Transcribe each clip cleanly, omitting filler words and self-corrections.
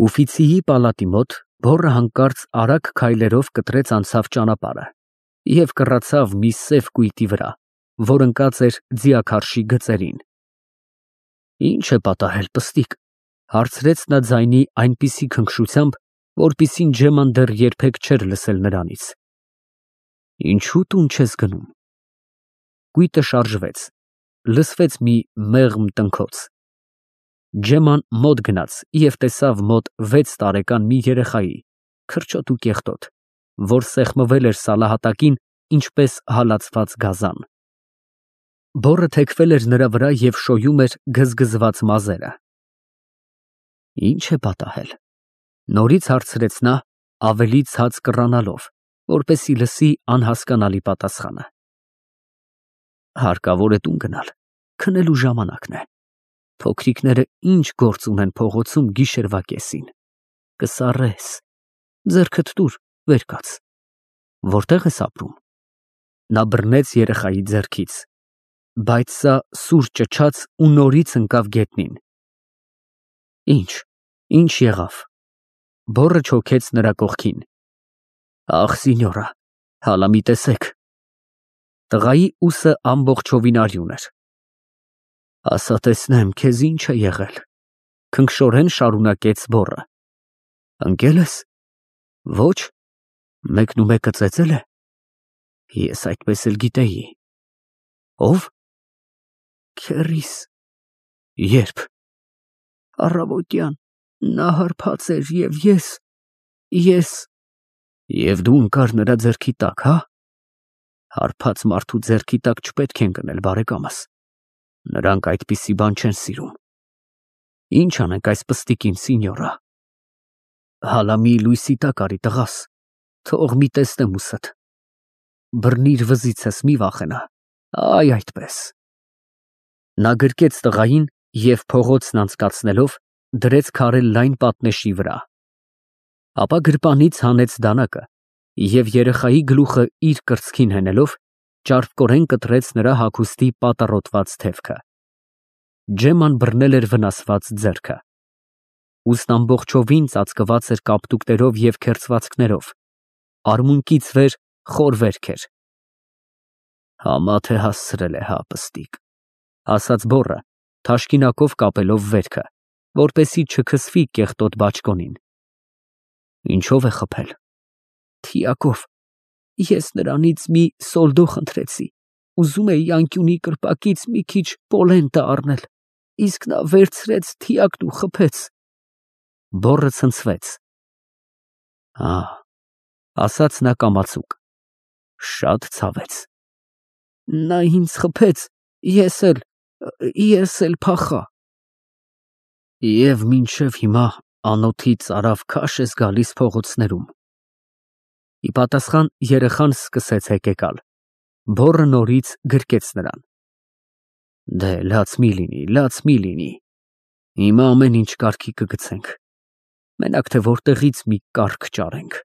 Ուֆիցիի պալատի մոտ բոռը հանկարծ արագ քայլերով կտրեց անցավ ճանապարհը և կռացավ մի սև կույտի վրա, որ ընկած էր ձիաքարշի գծերին։ «Ի՞նչ է պատահել, պստիկ», հարցրեց նա ձայնի այնպիսի քնքշությամբ, որպիսին Ջեման դեռ երբեք չէր լսել նրանից։ «Ինչու տուն չես գնում»։ Կույտը շարժվեց, լսվեց մի մեղմ տնքոց։ Ջեման մոտ գնաց և տեսավ մոտ 6 տարեկան մի երեխայի, քրչոտ ու կեղտոտ, որ սեղմվել էր սալահատակին, ինչպես հալածված գազան։ Բոռը թեքվել էր նրա վրա և շոյում էր գզգզված մազերը։ «Ի՞նչ է պատահել», նորից հարցրեց նա, ավելի ցած կռանալով, որպեսզի լսի անհասկանալի պատասխանը։ «Հարկավոր է տուն գնալ, քնելու ժամանակն է։ Փոքրիկները ինչ գործ ունեն փողոցում գիշերվա կեսին։ Կսառես, ձեռքդ տուր, վեր կաց։ Որտե՞ղ ես ապրում»։ Նա բռնեց երեխայի ձեռքից, բայց սա սուր ճչաց ու նորից ընկավ գետնին։ Ինչ եղավ։ Բոռը չոքեց նրա կողքին։ «Ախ, սինյորա, հալա մի տեսեք»։ Տղայի ուսը ամբողջովին արյուն էր։ «Ասա տեսնեմ, քեզ ինչ է եղել», քնքշորեն շարունակեց բոռը։ «Ընկե՞լ ես»։ «Ոչ»։ «Մեկնումեկը ծեծել է»։ «Ես այդպես էլ գիտեի»։ «Ո՞վ»։ «Քեռիս»։ «Ե՞րբ»։ «Առավոտյան, նա հարբած էր և ես։ Եվ դու ընկար նրա ձեռքի տակ, հա։ Հարբած մարդու ձեռքի տակ չպետք է ընկնել, բարեկամս, նրանք այդպիսի բան չեն սիրում։ Ինչ անենք այս պստիկին, սինյորա»։ «Հալա մի լույսի տակ արի, տղաս, թող մի տեսնեմ ուսդ։ Բռնիր վզիցս, մի վախենա, այ այդպես»։ Նա գրկեց տղային և փողոցն անցկացնելով դրեց քարե լայն պատնեշի վրա։ Ապա գրպանից հանեց դանակը և երեխայի գլուխը իր կրծքին հենելով ճարպկորեն կտրեց նրա հագուստի պատառոտված թևքը։ Ջեման բռնել էր վնասված ձեռքը։ Ուսն ամբողջովին ծածկված էր կապտուկներով և քերծվածքներով, արմունկից վեր խոր վերք էր։ «Համա թե հասցրել է, հա, պստիկ», ասաց բոռը, թաշկինակով կապելով վերքը, որպեսզի չքսվի կեղտոտ բաճկոնին։ «Ինչով է խփել»։ «Թիակով։ Ես նրանից մի սոլդո խնդրեցի, ուզում էի անկյունի կրպակից մի քիչ պոլենտը առնել, իսկ նա վերցրեց թիակն ու խփեց»։ Բոռը ցնցվեց։ Ասաց նա կամացուկ։ Շատ ցավեց։ «Նա ինձ խփեց, ես էլ փախա»։ «Եվ մինչև հիմա անոթից արավ քաշ ես գալիս փողոցներում»։ Ի պատասխան երեխան սկսեց հեկեկալ։ Բոռը նորից գրկեց նրան։ «Դե լաց մի լինի, հիմա ամեն ինչ կարգի կգցենք, մենակ թե որտեղից մի կառք ճարենք։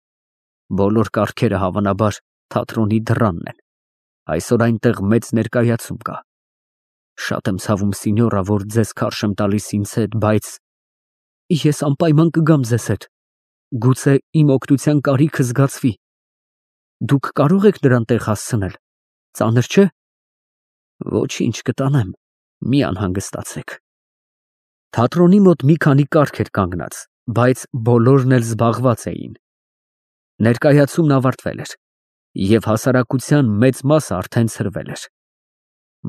Բոլոր կառքերը հավանաբար թատրոնի դռանն են, այսօր այնտեղ մեծ ներկայացում կա։ Շատ եմ ցավում, սինյորա, որ ձեզ քարշ եմ տալիս ինձ հետ, բայց ես անպայման կգամ ձեզ հետ, գուցե իմ օգնության կարիքը զգացվի։ Դուք կարող եք նրան տեղ հասցնել, ծանր չէ՞։ Ոչինչ, կտանեմ, մի անհանգստացեք։ Թատրոնի մոտ մի քանի կառք էր կանգնած, բայց բոլորն էլ զբաղված էին։ Ներկայացումն ավարտվել էր, և հասարակության մեծ մասը արդեն ցրվել էր։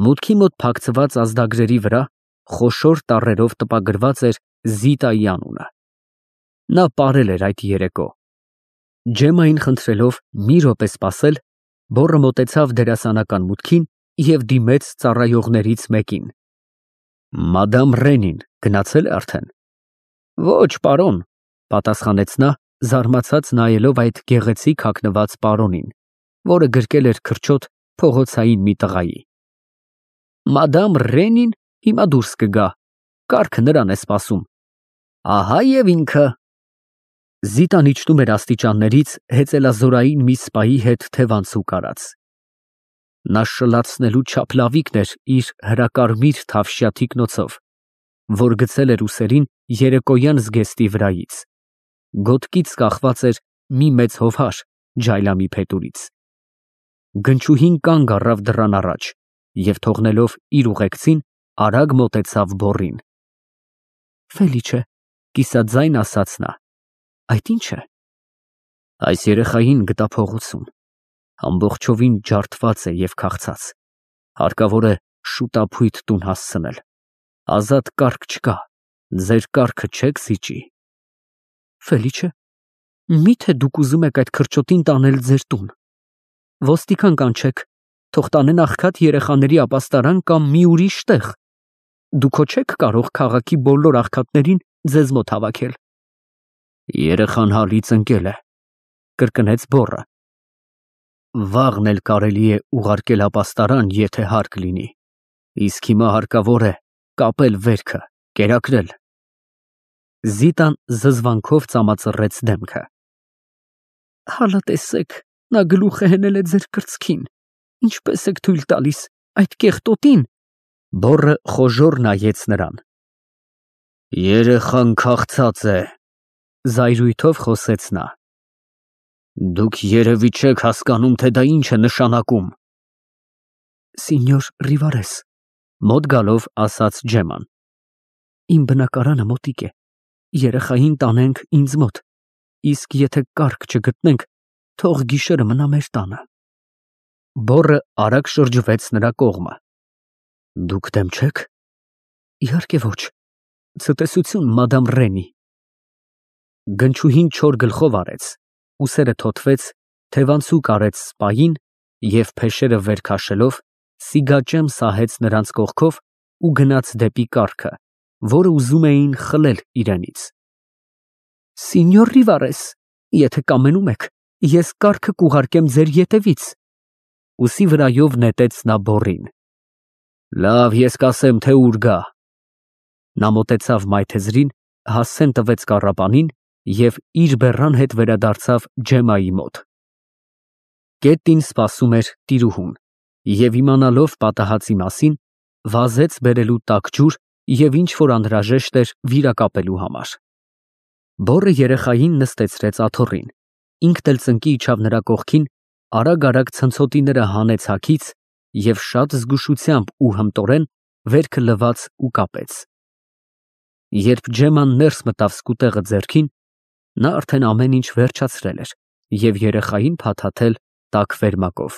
Մուտքի մոտ փակցված ազդագրերի վրա խոշոր տառերով տպագրված էր Զիտայի անունը։ Նա պարել էր այդ երեկո։ Ջեմային խնդրելով մի րոպե սպասել, բոռը մոտեցավ դերասանական մուտքին և դիմեց ծառայողներից մեկին։ «Մադամ Ռենին գնացել է արդեն»։ «Ոչ, պարոն», պատասխանեց նա, զարմացած նայելով այդ գեղեցիկ հագնված պարոնին, որը գրկել էր քրչոտ փողոցային մի տղայի։ «Մադամ Ռենին հիմա դուրս կգա, կառքը նրան է սպասում։ Ահա և ինքը»։ Զիտան իջնում էր աստիճաններից հեծելազորային մի սպայի հետ թևանցուկ արած։ Նա շլացնելու չափ լավիկն էր իր հրակարմիր թավշյա թիկնոցով, որ գցել էր ուսերին երեկոյան զգեստի վրայից։ Գոտկից կախված էր մի մեծ հովհար ջայլամի փետուրից։ Գնչուհին կանգ առավ դռան առաջ և թողնելով իր ուղեկցին, արագ մոտեցավ բոռին։ Ֆելիչե, կիսաձայն ասաց նա, այդ ի՞նչ է։ Այս երեխային գտա փողոցում, ամբողջովին ջարդված է և քաղցած, հարկավոր է շուտափույթ տուն հասցնել, ազատ կառք չկա, ձեր կառքը չեք զիջի։ Ֆելիչե, միթե դուք ուզում եք այդ քրճոտին տանել ձեր տուն։ Ոստիկան կանչեք, թող տանեն աղքատ երեխաների ապաստարան կամ մի ուրիշ տեղ։ Դուք հո չեք կարող քաղաքի բոլոր աղքատներին ձեզ մոտ հավաքել։ Երեխան հալից ընկել է, կրկնեց բոռը։ Վաղն էլ կարելի է ուղարկել ապաստարան, եթե հարկ լինի, իսկ հիմա հարկավոր է կապել վերքը, կերակրել։ Զիտան զզվանքով ծամածռեց դեմքը։ Հալա տեսեք, նա գլուխը հենել է ձեր կրծքին, ինչպես եք թույլ տալիս այդ կեղտոտին։ Բոռը խոժոռ նայեց նրան։ Երեխան քաղցած է, զայրույթով խոսեց նա։ Դուք երևի չեք հասկանում, թե դա ինչ է նշանակում։ Սինյոր Ռիվարես, մոտ գալով ասաց Ջեման։ Իմ բնակարանը մոտիկ է, երեխային տանենք ինձ մոտ, իսկ եթե կառք չգտնենք, թող գիշերը մնա մեր տանը։ Բոռը արագ շրջվեց նրա կողմը։ Դուք դեմ չեք։ Իհարկե ոչ։ Ցտեսություն, մադամ Ռենի։ Գնչուհին չոր գլխով արեց, ուսերը թոթվեց, թևանցուկ արեց սպային և փեշերը վեր քաշելով, սիգաճեմ սահեց նրանց կողքով ու գնաց դեպի կառքը, որը ուզում էին խլել իրենից։ Սինյոր Ռիվարես, եթե կամենում եք, ես կառքը կուղարկեմ ձեր ետևից։ Ուսի վրայով նետեց նա բոռին։ Լավ, ես կասեմ, թե ուր գա։ Նա մոտեցավ մայթեզրին, հասցեն տվեց կառապանին և իր բեռան հետ վերադարձավ Ջեմայի մոտ։ Կետին սպասում էր տիրուհուն և իմանալով պատահածի մասին, վազեց բերելու տաք ջուր և ինչ որ անհրաժեշտ էր վիրակապելու համար։ Բոռը երեխային նստեցրեց աթոռին, ինքն էլ ծնկի իջավ նրա կողքին, արագ ցնցոտիները հանեց հագից և շատ զգուշությամբ ու հմտորեն վերքը լվաց ու կապեց։ Երբ Ջեման ներս մտավ սկուտեղը ձեռքին, նա արդեն ամեն ինչ վերջացրել էր և երեխային փաթաթել տաք վերմակով։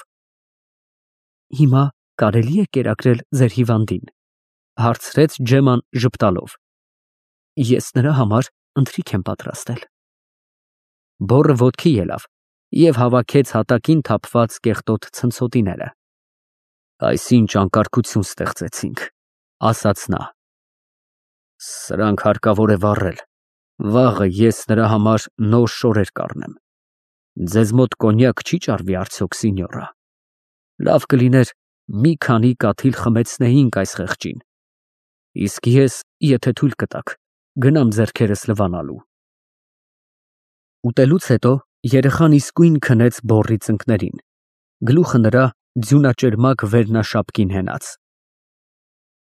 Հիմա կարելի է կերակրել ձեր հիվանդին, հարցրեց Ջեման ժպտալով։ Ես նրա համար ընթրիք եմ պատրաստել։ Բոռը ոտքի ելավ և հավաքեց հատակին թափված կեղտոտ ցնցոտիները։ Այսինչ անկարգություն ստեղծեցինք, ասաց նա։ Սրանք հարկավոր է վառել, վաղը ես նրա համար նոր շորեր կառնեմ։ Ձեզ մոտ կոնյակ չի ճարվի արդյոք, սինյորա։ Լավ կլիներ մի քանի կաթիլ խմեցնեինք այս խեղճին, իսկ ես, եթե թույլ կտաք, գնամ ձեռքերս լվանալու։ Ուտելուց հետո երեխան իսկույն քնեց բոռի ծնկներին, գլուխը նրա ձյունաճերմակ վերնաշապկին հենած։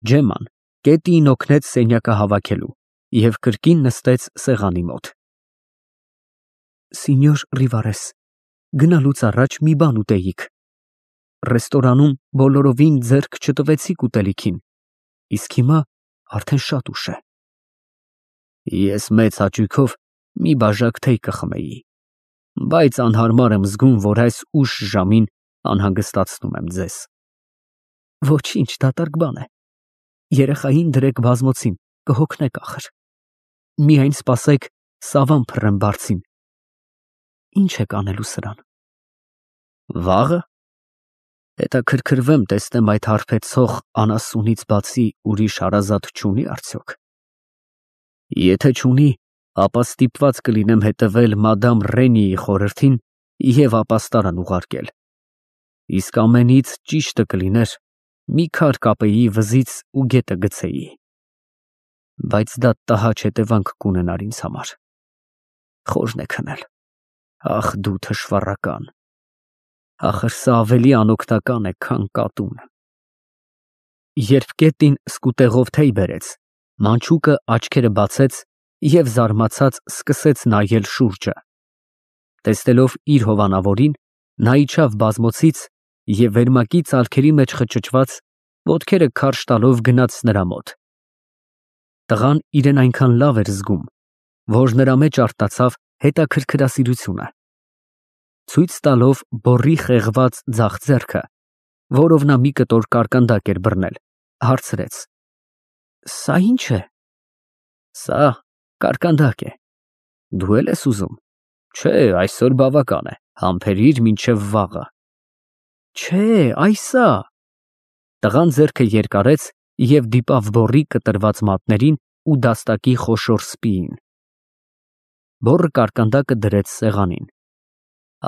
Ջեման կետին օգնեց սենյակը հավաքելու և կրկին նստեց սեղանի մոտ։ Սինյոր Ռիվարես, գնալուց առաջ մի բան ուտեիք։ Ռեստորանում բոլորովին ձեռք չտվեցիք ուտելիքին, իսկ հիմա արդեն շատ ուշ է։ Ես մեծ հաճույքով մի բաժակ թեյ կխմեի, բայց անհարմար եմ զգում, որ այս ուշ ժամին անհանգստացնում եմ ձեզ։ Ոչինչ, դատարկ բան է։ Երեխային դրեք բազմոցին, կհոգնեք ախր։ Միայն սպասեք սավան փռեմ բարձին։ Ինչ եք անելու սրան։ Վաղը։ Հետաքրքրվեմ տեսնեմ այդ հարբեցող անասունից բացի ուրիշ հարազատ չունի արդյոք։ Եթե չունի, ապա ստիպված կլինեմ հետևել մադամ Ռենիի խորհրդին և ապաստարան ուղարկել։ Իսկ ամենից ճիշտը կլիներ մի քար կապեի վզից ու գետը գցեի։ Բայց դա տհաճ հետևանք կունենար ինձ համար։ Խորն է քնել։ Ախ դու թշվառական։ Ախր սա ավելի անօգնական է, քան կատուն։ Երբ կետին սկուտեղով թեյ բերեց, մանչուկը աչքերը բացեց և զարմացած սկսեց նայել շուրջը։ Տեսնելով իր հովանավորին, նա իջավ բազմոցից և վերմակի ծալքերի մեջ խճճված, ոտքերը քարշ տալով գնաց նրա մոտ։ Տղան իրեն այնքան լավ էր զգում, որ նրա մեջ արտացավ հետաքրքրասիրությունը։ Ցույց տալով բոռի խեղված ձախ ձեռքը, որով նա մի կտոր կարկանդակ էր բռնել, հարցրեց. «Սա ի՞նչ է»։ «Սա կարկանդակ է։ Դու էլ ես ուզում։ Չէ, այսօր բավական է, համբերիր մինչև վաղը»։ «Չէ, այ սա»։ Տղան ձեռքը երկարեց և դիպավ բոռի կտրված մատներին ու դաստակի խոշոր սպիին։ Բոռը կարկանդակը դրեց սեղանին։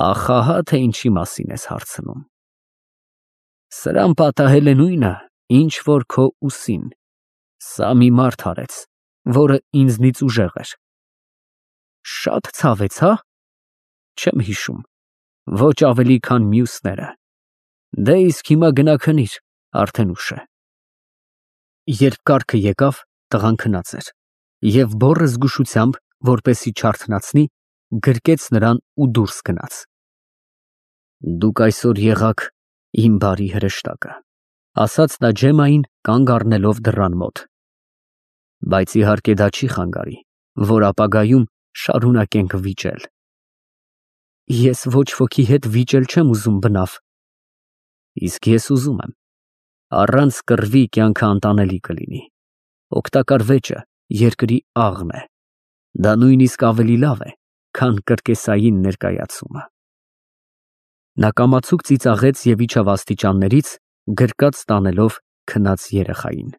«Ախ, ահա թե ինչի մասին ես հարցնում։ Սրան պատահել է նույնը, ինչ որ քո ուսին։ Սա մի մարդ արեց, որը ինձնից ուժեղ էր»։ «Շատ ցավեց, հա»։ «Չեմ հիշում, ոչ ավելի, քան մյուսները։ Դե իսկ հիմա գնա քնիր, արդեն ուշ է»։ Երբ կառքը եկավ, տղան քնած էր, և բոռը զգուշությամբ, որպեսզի չարթնացնի, գրկեց նրան ու դուրս գնաց։ «Դուք այսօր եղաք իմ բարի հրեշտակը», ասաց նա Ջեմմային, կանգ առնելով դռան մոտ։ «Բայց իհարկե դա չի խանգարի, որ ապագայում շարունակենք վիճել»։ «Ես ոչ ոքի հետ վիճել չեմ ուզում, բնավ»։ «Իսկ ես ուզում եմ։ Առանց կռվի կյանքը անտանելի կլինի։ Օգտակար վեճը երկրի աղն է։ Դա նույնիսկ ավելի լավ է, քան կրկեսային ներկայացումը»։ Նա կամացուկ ծիծաղեց և իջավ աստիճաններից, գրկած տանելով քնած երեխային։